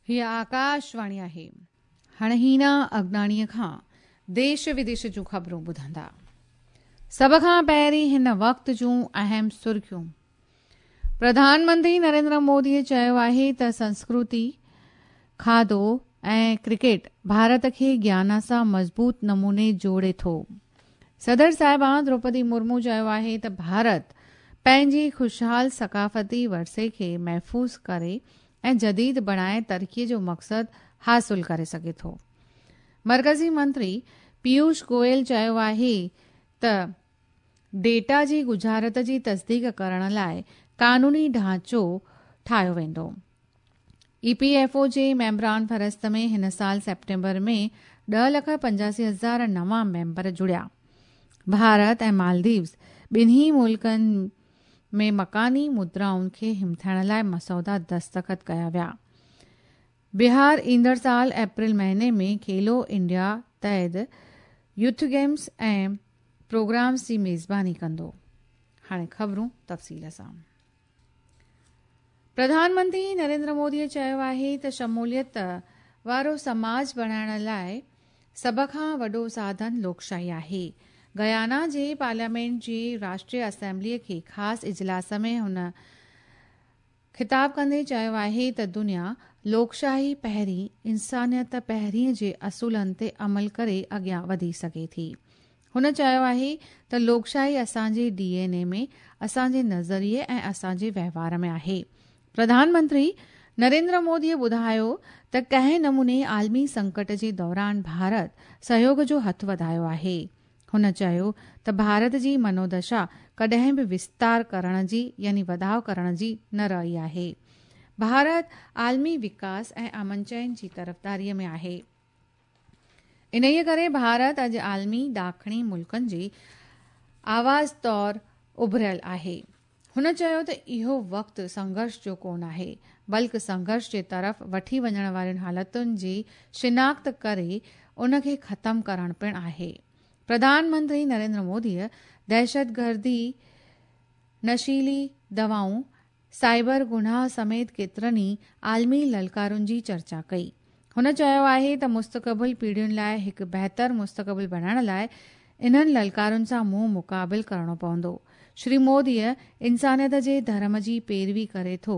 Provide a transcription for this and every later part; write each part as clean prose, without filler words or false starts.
هيء آڪاشواڻي آهي. هاڻي هينا اگناڻيء کان ديش وديش جون خبرون ٻڌندا. سڀ کان پهرين هن وقت جون اهم سرخيون. پرڌان منتري نريندر موديء چيو آهي ته سنسڪرتي، کاڌو ۽ ڪرڪيٽ ڀارت کي گيانا سان مضبوط نموني جوڙي ٿو. صدر صاحبان دروپدي مرمو چيو آهي ته ڀارت پنهنجي خوشحال ثقافتي ورثي کي محفوظ ڪري ۽ جديد بڻائي ترقي جو مقصد حاصل ڪري سگهي ٿو. مرڪزي منتري پيوش گوئل چيو آهي ته ڊيٽا جي ڳجهارت جي تصديق ڪرڻ لاء قانوني ڍانچو ٺاهيو ويندو. اي پي ايف او جي ميمبران فهرست ۾ هن سال سيپٽمبر ۾ ڏهه لک 85 هزار نوان ميمبر جڙيا. ڀارت ۽ مالديوز ٻنهي ملڪن ۾ مڪاني مدرائن کي همٿائڻ لاء مسودا دستخط ڪيا ويا. بهار ايندڙ سال اپريل مهيني ۾ کيلو انڊيا تحت يوٿ گيمز ۽ پروگرامز جي ميزباني ڪندو. هاڻي خبرون تفصيل سان. پرڌان منتري نريندر مودي چيو آهي ته شموليت وارو سماج بڻائڻ لاء سڀ کان وڏو ساڌن لوڪشاهي آهي. گيانا جي پارليامينٽ جي راشٽريه اسيمبلي کي خاص اجلاس ۾ هن خطاب ڪندي چيو آهي ته دنيا لوڪشاهي پهرين، انسانيت پهرين جي اصولن تي عمل ڪري اڳيان وڌي سگهي ٿي. هن چيو آهي ته لوڪشاهي اسان جي ڊي اين اي ۾، اسان جي نظريي ۽ اسان جي وهنوار ۾ آهي. پرڌان منتري نريندر مودي ٻڌايو ته ڪنهن نموني عالمي سنڪٽ جي دوران ڀارت سهيوڳ جو هٿ وڌايو آهي. هن چيو ته ڀارت جي منودشا ڪڏهن به وستار ڪرڻ جي يعني وڌاء ڪرڻ جي نه رهي آهي. ڀارت عالمي وڪاس ۽ امن چين جي طرفداري ۾ آهي. انهيء ڪري ڀارت اڄ عالمي ڏاکڻي ملڪن جي آواز طور اڀريل آهي. هن چيو ته اهو وقت سنگهرش جو ڪونه آهي، بلڪ سنگهرش جي طرف وٺي وڃڻ وارين حالتن جي شناخت ڪري ان کي ختم ڪرڻ پڻ آهي. پرڌان منتري نريندر موديء دهشتگردي، نشيلي دوائون، سائبر گناهه سميت ڪيترن ئي عالمي للڪارن جي چرچا ڪئي. هن چيو آهي ته مستقبل پيڙهين لاء هڪ بهتر مستقبل بڻائڻ لاء انهن للڪارن سان منهن مقابل ڪرڻو پوندو. شري موديء انسانيت جي ڌرم جي پيروي ڪري ٿو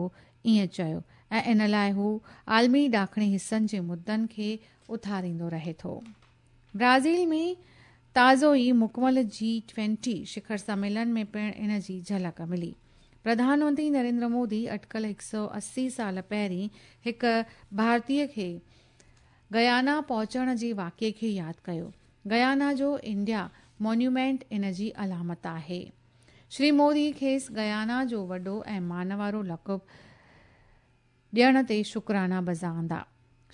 ائين چيو ۽ ان لاء هو عالمي ڏاکڻي حصن جي مدن کي اٿاريندو رهي ٿو. برازيل ۾ تازو ئي مڪمل جي ٽوئنٽي شکر سميلن ۾ پڻ ان جي جهلڪ ملي. پرڌان منتري نريندر مودي اٽڪل 180 سال پهرين هڪ ڀارتي کي گيانا پهچڻ جي واقعي کي ياد ڪيو. گيانا جو انڊيا مونيومينٽ ان جي علامت آهي. شري مودي کيس گيانا جو وڏو ۽ مانوارو لقب ڏيڻ تي شڪرانا بجا آندا.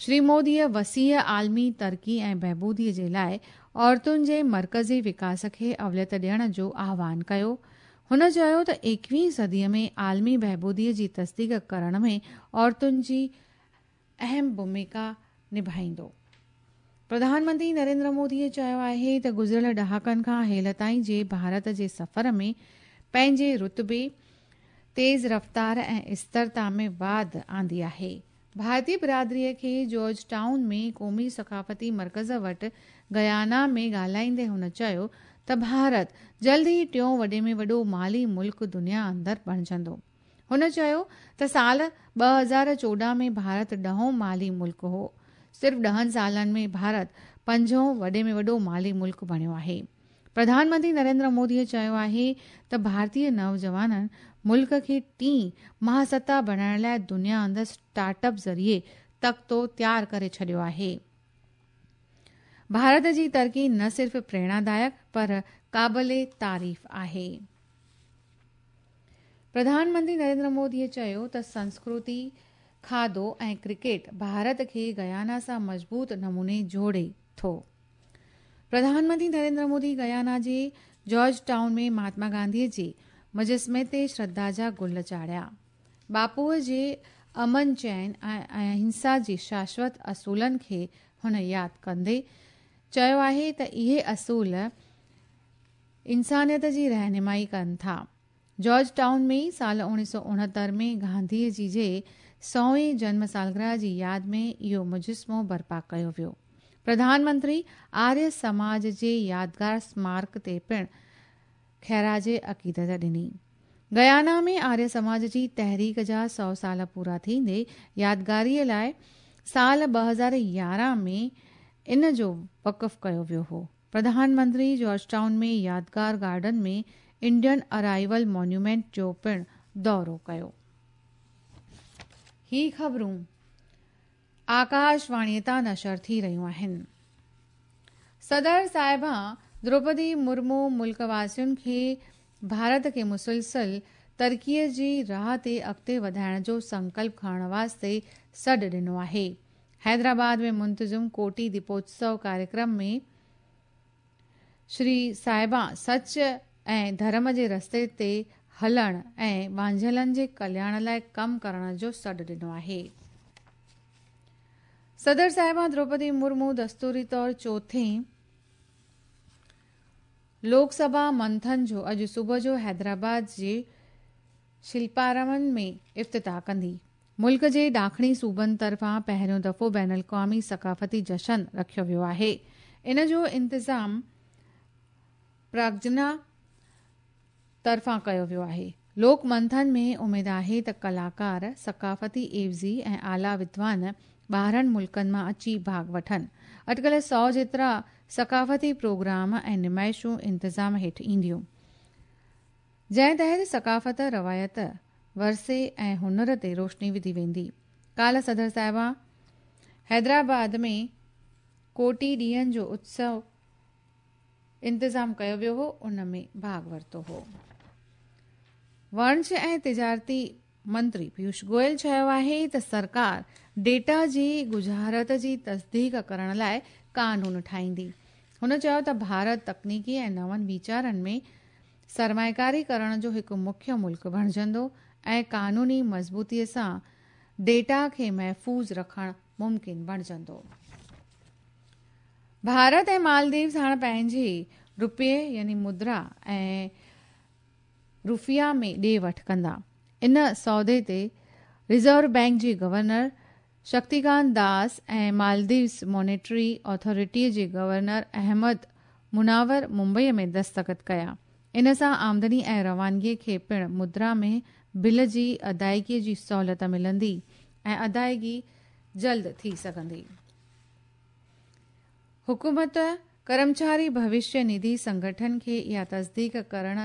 شري موديء وسيع عالمي ترقي ۽ بهبودي جي لاء عورتن جي مرڪزي وڪاس کي اوليت ڏيڻ جو آهوان ڪيو. هن چيو ته ايڪويهين صديء ۾ عالمي بهبودي جي تصديق ڪرڻ ۾ عورتن جي اهم ڀوميڪا نڀائيندو. پرڌان منتري نريندر موديء چيو آهي ته گذريل ڏهاڪن کان هيل تائين جي ڀارت جي سفر ۾ پنهنجي رتبي، تيز رفتار ۽ استرتا ۾ واڌ آندي آهي. ڀارتي برادريء کي جارج ٽائون ۾ قومي ثقافتي مرڪز وٽ گيانا ۾ ڳالهائيندي هن چيو ته ڀارت جلد ئي ٽيون وڏي ۾ وڏو مالي ملڪ دنيا اندر بڻجندو. هن چيو ته سال 2014 ۾ ڀارت ڏهون مالي ملڪ هو، صرف ڏهن سالن ۾ ڀارت پنجون وڏي ۾ وڏو مالي ملڪ بڻيو آهي. پرڌان منتري نريندر مودي چيو آهي ته ڀارتي نوجوانن ملڪ کي ٽين مهاستا بڻائڻ لاء دنيا اندر اسٽارٽ اپ ذريعي تختو تيار ڪري ڇڏيو آهي. ڀارت جي ترقي نه صرف پريرڻادائڪ پر قابل تعريف آهي. پرڌان منتري نريندر مودي چيو ته سنسڪرتي، کاڌو ۽ ڪرڪيٽ ڀارت کي گيانا سان مضبوط نموني جوڙي ٿو. پرڌان منتري نريندر مودي گيانا جي جارج ٽائون ۾ مهاتما گانڌي جي مجسمي تي شرڌا جا گل چاڙهيا. باپوء جي امن چين ۽ اهنسا جي شاشوت اصولن کي هن ياد ڪندي چيو آهي ته اهي اصول انسانيت جي رهنمائي ڪن ٿا. جارج ٽائون ۾ ئي سال 1969 ۾ گانڌي جي جي سوين جنم سالگرهه جي ياد ۾ اهو مجسمو برپا ڪيو ويو. پرڌان منتري آريه سماج جي يادگار سمارڪ تي پڻ خراج عقيدت ڏني. گيانا ۾ آريه سماج جي تحريڪ جا 100 سال پورا ٿيندي يادگاريء لاء سال 2011 ۾ ان جو وقف ڪيو ويو هو. پرڌان منتري جارج ٽائون ۾ يادگار گارڊن ۾ انڊين ارائيول مونيومينٽ جو پڻ دورو ڪيو. هي خبرون آڪاشواڻيء تان نشر ٿي رهيون آهن. صدر صاحبه دروپدي مرمو ملڪ واسين کي ڀارت کي مسلسل ترقيء جي راهه تي اڳتي وڌائڻ جو سنڪلپ کڻڻ واسطي سڏ ڏنو آهي. حيدرآباد ۾ منتظم ڪوٽي ديپوتسو ڪاريڪرم ۾ شري صاحبه سچ ۽ ڌرم جي رستي تي هلڻ ۽ وانجهيلن جي ڪلياڻ لاء ڪم ڪرڻ جو سڏ ڏنو آهي. صدر صاحبه دروپدي مرمو دستوري طور چوٿين لوڪ سڀا منٿن جو اڄ صبح جو حيدرآباد جي شلپارامن ۾ افتتاح ڪندي. ملڪ جي ڏاکڻي صوبن طرفان پهريون دفعو بين الاقوامي ثقافتي جشن رکيو ويو آهي. ان جو انتظام پراگجنا طرفان ڪيو ويو آهي. لوڪ منٿن ۾ اميد آهي ته ڪلاڪار، ثقافتي عيوضي ۽ اعليٰ ودوان ٻاهرن ملڪن مان اچي ڀاڳ وٺن. اٽڪل 100 جيترا ثقافتي پروگرام ۽ نمائشون انتظام هيٺ اينديون. جنهن تحت ثقافت، روايت، ورثي ۽ هنر تي روشني وڌي ويندي. ڪالهه صدر صاحبه حيدرآباد ۾ ڪوٽي ڏينهن جو اتسو انتظام ڪيو ويو هو، ان ۾ ڀاڳ ورتو هو. وڻج ۽ تجارتي منتري پيوش گويل چيو آهي ته سرڪار ڊيٽا جي ڳجهارت جي تصديق ڪرڻ لاء قانون ٺاهيندي. هن چيو ته ڀارت تڪنيڪي ۽ نون ويچارن ۾ سرمائيڪاري ڪرڻ جو هڪ مکيه ملڪ بڻجندو ۽ قانوني مضبوطي سان ڊيٽا کي محفوظ رکڻ ممڪن بڻجندو. ڀارت ۽ مالديوز هاڻ پنهنجي روپئي يعني مدرا ۽ روفيا ۾ ڏي وٺ ڪندا. ان سودي تي ريزرو بئنڪ جي گورنر شڪتيڪانت داس ۽ مالديوز مانيٽري اٿارٽي جي گورنر احمد منور ممبئي ۾ دستخط ڪيا. ان سان آمدني ۽ روانگي کي پڻ مدرا ۾ بل جي ادائيگي جي سهولت ملندي ۽ ادائيگي جلد ٿي سگهندي. حڪومت ڪرمچاري ڀوشيه نڌي سنگٺن کي اها تصديق ڪرڻ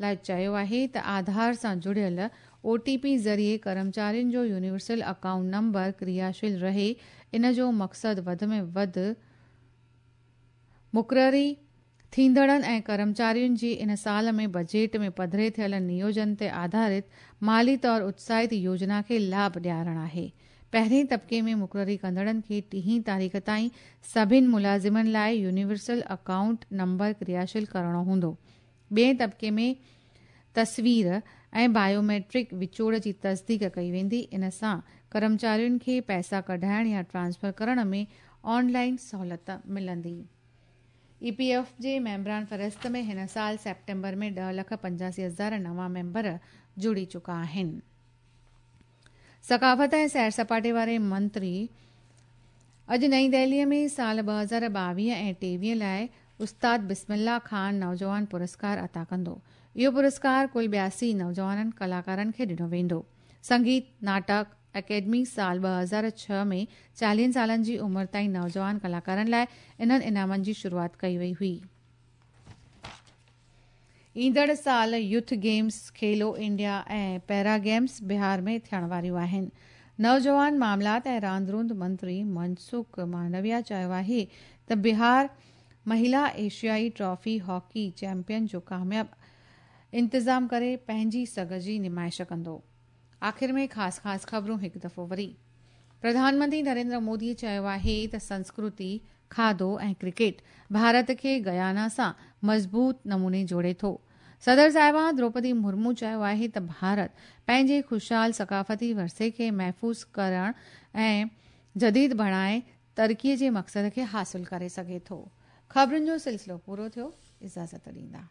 لاء چيو آهي ته آڌار سان جڙيل او ٽي پي ذريعي ڪرمچارين جو يونيورسل اڪائونٽ نمبر ڪرياشيل رهي. ان جو مقصد وڌ ۾ وڌ مقرري ٿيندڙن ۽ ڪرمچارين جي ان سال ۾ بجيٽ ۾ پڌري ٿيل نيوجن تي آڌارت مالي طور اتساهت يوجنا کي لاڀ ڏيارڻ آهي. پهرين طبقي ۾ مقرري ڪندڙن کي ٽيهين تاريخ تائين سڀن ملازمن لاء يونيورسل اڪائونٽ نمبر ڪرياشيل ڪرڻو هوندو. ٻئين طبقي ۾ تصوير ۽ بايوميٽرڪ وچوڙ جي تصديق ڪئي ويندي. ان سان ڪرمچارين کي پئسا ڪڍائڻ يا ٽرانسفر ڪرڻ ۾ آن لائن سهولت ملندي. اي پي ايف جي ميمبران فهرست ۾ هن سال سيپٽمبر ۾ 10 لک 85 هزار نوان ميمبر جڙي چڪا آهن. ثقافت ۽ سير سپاٽي واري منتري اڄ نئين دهلي ۾ سال 2022 ۽ 23 لاء استاد بسم الله خان نوجوان پرسڪار عطا ڪندو. اهو پرسڪار ڪل 82 نوجوانن ڪلاڪارن کي ڏنو ويندو. سنگيت ناٽڪ اڪيڊمي سال 2006 ۾ 40 سالن جي عمر تائين نوجوان ڪلاڪارن لاء انهن انعامن جي شروعات ڪئي وئي هئي. ايندڙ سال youth games, Khelo India ۽ para games Bihar ۾ ٿيڻ واريون آهن. نوجوان معاملات ۽ راند روند منتري منسوخ مانڊويا چيو آهي ته بهار مهلا ايشيائي ٽرافي هاڪي چيمپيئن جو ڪامياب انتظام ڪري پنهنجي سگهه جي نمائش ڪندو. آخر ۾ خاص خاص خبرون هڪ دفعو وري. پرڌان منتري نريندر مودي چيو آهي ته سنسڪرتي، کاڌو ۽ ڪرڪيٽ ڀارت کي گيانا سان مضبوط نموني جوڙي ٿو. صدر صاحبه دروپدي مرمو چيو آهي ته ڀارت پنهنجي خوشحال ثقافتي ورثي کي محفوظ ڪرڻ ۽ جديد بڻائي ترقي جي مقصد کي حاصل ڪري سگهي ٿو. خبرن جو سلسلو پورو ٿيو. اجازت ڏيندا.